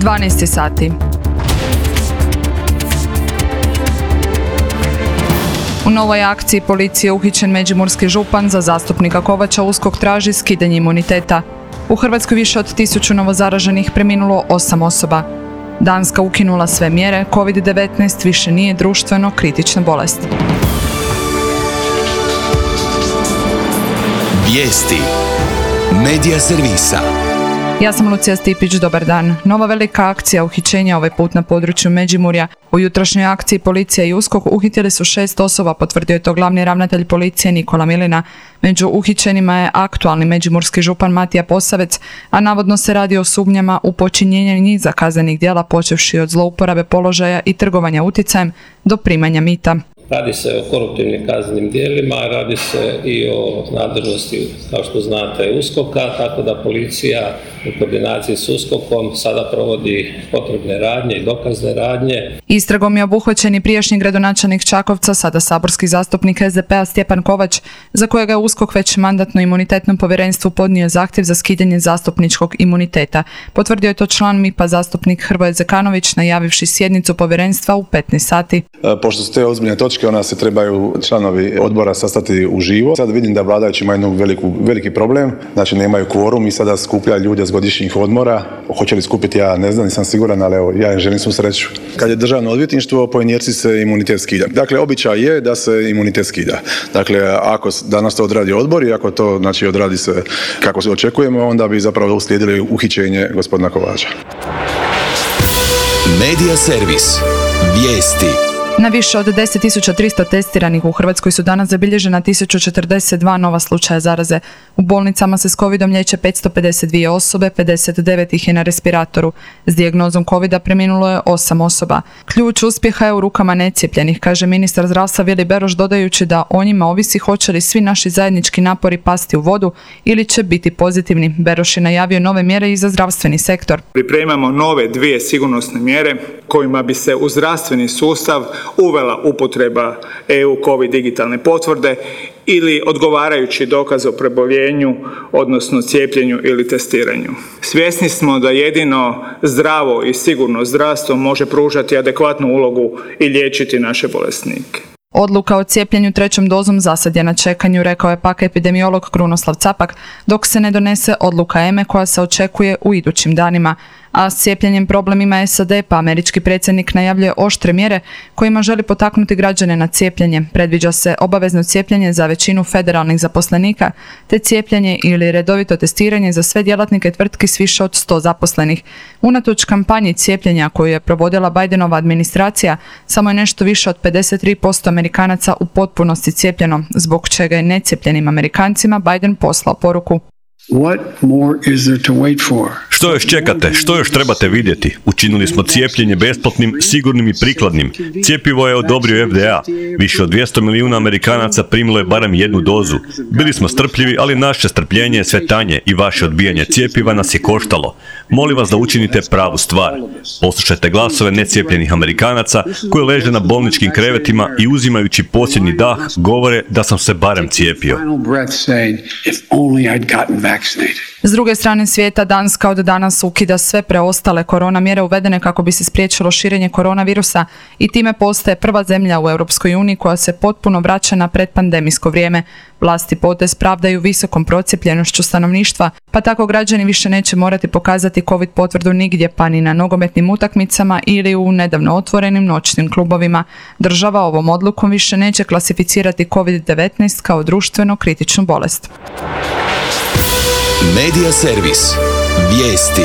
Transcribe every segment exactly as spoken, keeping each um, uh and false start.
dvanaest sati. U novoj akciji policije uhićen međimurski župan, za zastupnika Kovača USKOK traži skidanje imuniteta. U Hrvatskoj više od tisuću novozaraženih, preminulo osam osoba. Danska ukinula sve mjere, kovid devetnaest više nije društveno kritična bolest. Vijesti Medija servisa. Ja sam Lucija Stipić, dobar dan. Nova velika akcija uhićenja, ovaj put na području Međimurja. U jutrošnjoj akciji policija i USKOK uhitili su šest osoba, potvrdio je to glavni ravnatelj policije Nikola Milina. Među uhićenima je aktualni međimurski župan Matija Posavec, a navodno se radi o sumnjama u počinjenje niza kaznenih djela, počevši od zlouporabe položaja i trgovanja utjecajem do primanja mita. Radi se o koruptivnim kaznenim djelima, radi se i o nadležnosti, kao što znate, USKOK-a, tako da policija u koordinaciji s USKOK-om sada provodi potrebne radnje i dokazne radnje. Istragom je obuhvaćen i prijašnji gradonačelnik Čakovca, sada saborski zastupnik S D P-a Stjepan Kovač, za kojega je USKOK već mandatno-imunitetnom povjerenstvu podnio zahtjev za skidanje zastupničkog imuniteta. Potvrdio je to član M I P-a zastupnik Hrvoje Zekanović, najavivši sjednicu povjerenstva u petnaest sati. Pošto su te ozbiljne točke, ona se trebaju članovi odbora sastati uživo. Sad vidim da vladajući imaju jednu veliku, veliki problem, znači nemaju kvorum i sada skuplja ljude s godišnjih odmora. Hoće li skupiti, ja ne znam, nisam siguran, ali evo, ja želim svu sreću. Kad je državno odvjetništvo, po inerciji se imunitet skida. Dakle, običaj je da se imunitet skida. Dakle, ako danas to odradi odbor i ako to, znači, odradi se kako se očekujemo, onda bi zapravo uslijedili uhićenje gospodina Kovača. Medija servis. Vijesti. Na više od deset tisuća tristo testiranih u Hrvatskoj su danas zabilježena tisuću četrdeset dva nova slučaja zaraze. U bolnicama se s covidom liječe petsto pedeset dvije osobe, pedeset devet ih je na respiratoru. S dijagnozom covida preminulo je osam osoba. Ključ uspjeha je u rukama necijepljenih, kaže ministar zdravstva Vili Beroš, dodajući da o njima ovisi hoće li svi naši zajednički napori pasti u vodu ili će biti pozitivni. Beroš je najavio nove mjere i za zdravstveni sektor. Pripremamo nove dvije sigurnosne mjere kojima bi se u zdravstveni sustav uvela upotreba E U COVID digitalne potvrde ili odgovarajući dokaz o preboljenju, odnosno cijepljenju ili testiranju. Svjesni smo da jedino zdravo i sigurno zdravstvo može pružati adekvatnu ulogu i liječiti naše bolesnike. Odluka o cijepljenju trećom dozom zasad je na čekanju, rekao je pak epidemiolog Krunoslav Capak, dok se ne donese odluka E M E koja se očekuje u idućim danima. A s cijepljenjem problem ima S A D, pa američki predsjednik najavljuje oštre mjere kojima želi potaknuti građane na cijepljenje. Predviđa se obavezno cijepljenje za većinu federalnih zaposlenika, te cijepljenje ili redovito testiranje za sve djelatnike tvrtki s više od sto zaposlenih. Unatoč kampanji cijepljenja koju je provodila Bidenova administracija, samo je nešto više od pedeset tri posto Amerikanaca u potpunosti cijepljeno, zbog čega je necijepljenim Amerikancima Biden poslao poruku. What more is there to wait for? Što još čekate? Što još trebate vidjeti? Učinili smo cijepljenje besplatnim, sigurnim i prikladnim. Cjepivo je odobrio F D A. Više od dvjesto milijuna Amerikanaca primilo je barem jednu dozu. Bili smo strpljivi, ali naše strpljenje je sve tanje i vaše odbijanje cijepiva nas je koštalo. Molim vas da učinite pravu stvar. Poslušajte glasove necijepljenih Amerikanaca koji leže na bolničkim krevetima i uzimajući posljednji dah govore da sam se barem cijepio. S druge strane svijeta, Danska od danas ukida sve preostale korona mjere uvedene kako bi se spriječilo širenje koronavirusa i time postaje prva zemlja u Europskoj uniji koja se potpuno vraća na predpandemijsko vrijeme. Vlasti potez pravdaju visokom procijepljenošću stanovništva, pa tako građani više neće morati pokazati covid potvrdu nigdje, pa ni na nogometnim utakmicama ili u nedavno otvorenim noćnim klubovima. Država ovom odlukom više neće klasificirati kovid devetnaest kao društveno kritičnu bolest. Medija servis. Vijesti.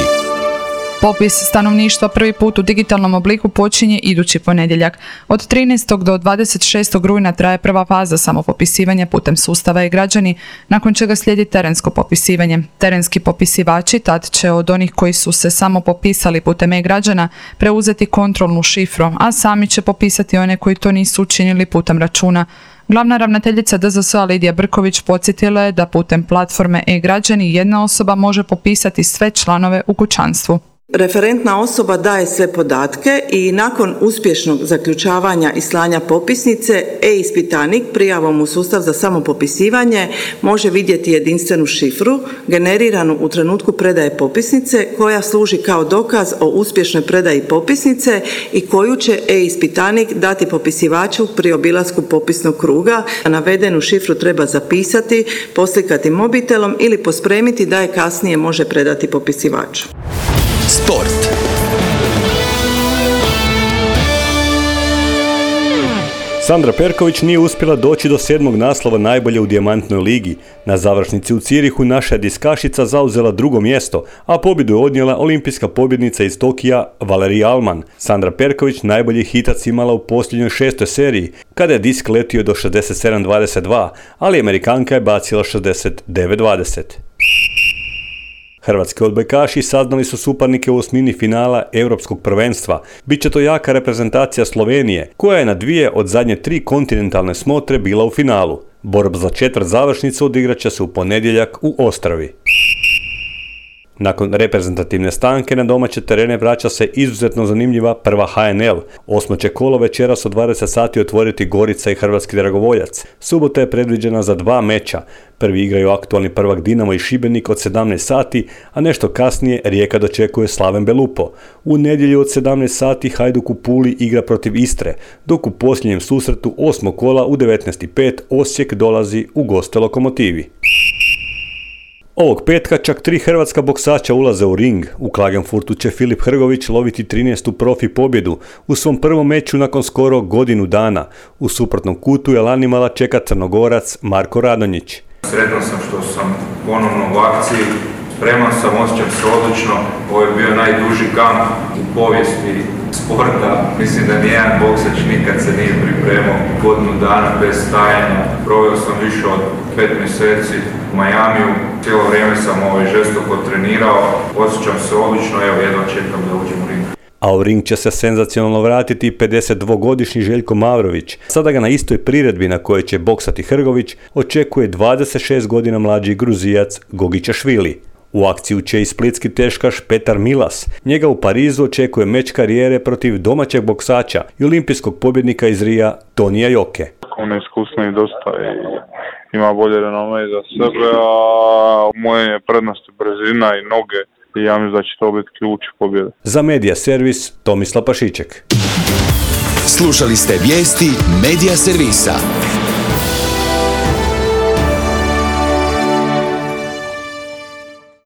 Popis stanovništva prvi put u digitalnom obliku počinje idući ponedjeljak. Od trinaestog do dvadeset šestog rujna traje prva faza samopopisivanja putem sustava e-građani, nakon čega slijedi terensko popisivanje. Terenski popisivači tad će od onih koji su se samo popisali putem e-građana preuzeti kontrolnu šifru, a sami će popisati one koji to nisu učinili putem računa. Glavna ravnateljica D Z S-a Lidija Brković podsjetila je da putem platforme e-građani jedna osoba može popisati sve članove u kućanstvu. Referentna osoba daje sve podatke i nakon uspješnog zaključavanja i slanja popisnice, e-ispitanik prijavom u sustav za samopopisivanje može vidjeti jedinstvenu šifru generiranu u trenutku predaje popisnice koja služi kao dokaz o uspješnoj predaji popisnice i koju će e-ispitanik dati popisivaču pri obilasku popisnog kruga. Navedenu šifru treba zapisati, poslikati mobitelom ili pospremiti da je kasnije može predati popisivaču. Sport. Sandra Perković nije uspjela doći do sedmog naslova najbolje u dijamantnoj ligi. Na završnici u Cirihu naša je diskašica zauzela drugo mjesto, a pobjedu je odnijela olimpijska pobjednica iz Tokija Valerija Alman. Sandra Perković najbolji hitac imala u posljednjoj šestoj seriji, kada je disk letio do šezdeset sedam dvadeset dva, ali Amerikanka je bacila šezdeset devet dvadeset. Hrvatski odbojkaši saznali su suparnike u osmini finala Europskog prvenstva. Biće to jaka reprezentacija Slovenije, koja je na dvije od zadnje tri kontinentalne smotre bila u finalu. Borba za četvrt završnicu odigrat će se u ponedjeljak u Ostravi. Nakon reprezentativne stanke na domaće terene vraća se izuzetno zanimljiva prva H N L. Osmo će kolo večeras u dvadeset sati otvoriti Gorica i Hrvatski Dragovoljac. Subota je predviđena za dva meča. Prvi igraju aktualni prvak Dinamo i Šibenik od sedamnaest sati, a nešto kasnije Rijeka dočekuje Slaven Belupo. U nedjelju od sedamnaest sati Hajduk u Puli igra protiv Istre, dok u posljednjem susretu osmog kola u devetnaest i pet Osijek dolazi u goste Lokomotivi. Ovog petka čak tri hrvatska boksača ulaze u ring. U Klagenfurtu će Filip Hrgović loviti trinaestu profi pobjedu u svom prvom meču nakon skoro godinu dana. U suprotnom kutu Jelanimala čeka Crnogorac Marko Radonjić. Sretan sam što sam ponovno u akciji, spreman sam, osjećam se odlično. Ovo je bio najduži kamp u povijesti sporta. Mislim da nijedan boksač nikad se nije pripremao godinu dana bez stajanja. Proveo sam više od pet mjeseci u Majamiju. Cijelo vrijeme sam ovaj žestoko trenirao. Osjećam se odlično, evo jedva čekam da uđem u ring. A u ring će se senzacionalno vratiti pedesetdvogodišnji Željko Mavrović. Sada ga na istoj priredbi na kojoj će boksati Hrgović očekuje dvadeset šest godina mlađi Gruzijac Gogićašvili. U akciju će i splitski teškaš Petar Milas. Njega u Parizu očekuje meč karijere protiv domaćeg boksača i olimpijskog pobjednika iz Rija Tonija Joke. On je iskusniji dosta i ima bolje renome za sebe, a moje je prednosti brzina i noge i ja mislim da će to biti ključ pobjede. Za Medija Servis Tomislav Pašiček. Slušali ste vijesti Medija Servisa.